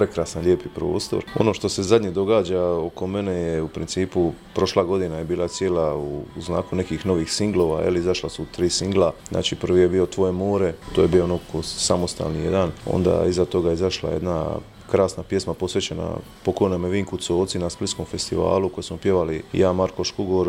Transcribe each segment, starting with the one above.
prekrasan, lijepi prostor. Ono što se zadnje događa oko mene je u principu prošla godina je bila cijela u znaku nekih novih singlova, izašla su 3 singla. Znači prvi je bio Tvoje more, to je bio ono samostalni jedan. Onda iza toga je izašla jedna krasna pjesma posvećena pokojnome Vinku Coci na Splitskom festivalu koju smo pjevali ja, Marko Škugor,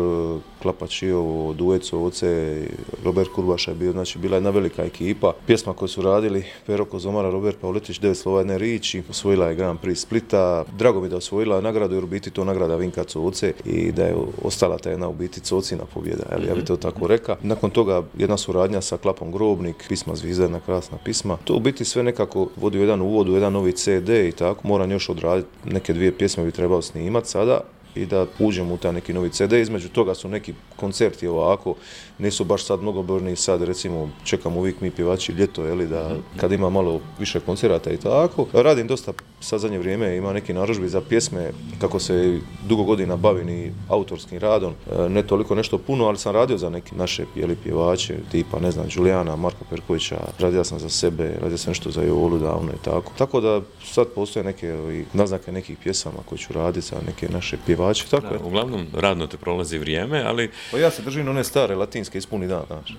Klapa Čiovo, duet Coce, Robert Kurbaša je bio, znači bila jedna velika ekipa. Pjesma koju su radili Pero Kozomara, Robert Pavletić, 9 slova jedne riči, osvojila je Grand Prix Splita. Drago mi da je osvojila nagradu jer u biti to nagrada Vinka Coce i da je ostala ta jedna u biti Cocina pobjeda, ja bi to tako rekao. Nakon toga jedna suradnja sa Klapom Grobnik, pisma Zvizda, jedna krasna pisma. To u biti sve nekako vodi u jedan uvod, u jedan novi CD i tako. Moram još odraditi, neke 2 pjesme bi trebao snimati sada i da uđem u taj neki novi CD. Između toga su neki koncerti ovako, nisu baš sad mnogobrojni, sad recimo čekam uvijek mi pjevači ljeto, da kad ima malo više koncerata i tako. Radim dosta sad zadnje vrijeme, ima neki narudžbi za pjesme, kako se dugo godina bavim i autorskim radom, ne toliko nešto puno, ali sam radio za neke naše pjevače, tipa ne znam, Đulijana, Marka Perkovića, radio sam za sebe, radio sam nešto za Jolu davno i tako. Tako da sad postoje neke naznake nekih pjesama koje ću raditi za neke naše pjevače. Tako da, uglavnom radno te prolazi vrijeme, ali... Pa ja se držim one stare latinske ispuni dan, znaš.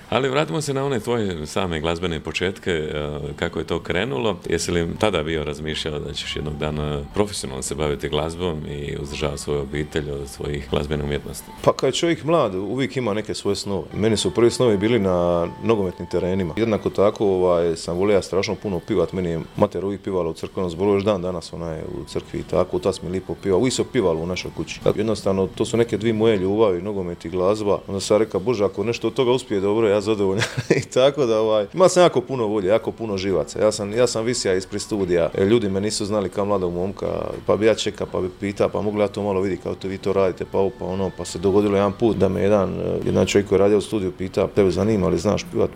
Ali vratimo se na one tvoje same glazbene početke, kako je to krenulo. Jesi li tada bio razmišljao da ćeš jednog dana profesionalno se baviti glazbom i uzdržavati svoju obitelj od svojih glazbenih umjetnosti? Pa kad je čovjek mlad, uvijek ima neke svoje snove. Meni su prvi snovi bili na nogometnim terenima. Jednako tako sam volio strašno puno pivat. Meni je mater uvijek pivala u crkvenom zboru, još dan danas ona je u crkvi i tako. Tas mi lipo piva. Uvijek se pivalo u našoj kući. Jednostavno, to su neke 2 moje ljubavi, nogomet i glazba. Onda sam rekao, Bože, ako nešto od toga uspije dobro, ja zadovoljan. I tako da ima sam jako puno volje, jako puno živaca. Ja sam visija ispred studija. Ljudi me nisu znali kao mladog momka, pa bi ja čekao, pa bi pitao, pa mogu ja to malo vidjeti kao to vi to radite, pa ovo, pa ono, pa se dogodilo jedan put da me jedan čovjek koji je radio u studiju pita, tebe zanima li znaš pivat,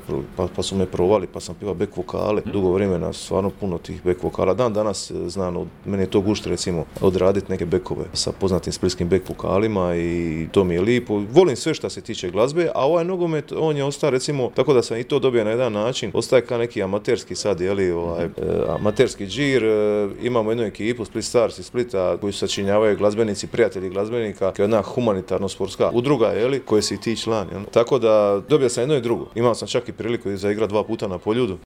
pa su me provali, pa sam pivao back vokale. Dugo vremena, stvarno puno tih back vokala. Dan danas znam, meni je to gušt recimo odraditi neke bekove sa poznatim splitskim back vokalima i to mi je lipo. Volim sve što se tiče glazbe, a ovaj nogomet, on je ostao recimo, tako da sam i to dobio na jedan način, ostaje kao neki amaterski sad, amaterski džir. Imamo jednu ekipu, Split Stars iz Splita, koji sačinjavaju glazbenici, prijatelji glazbenika, kao jedna humanitarno-sportska udruga, koje si ti član. Tako da dobio sam jedno i drugo. Imao sam čak i priliku za igrati 2 puta na Poljudu.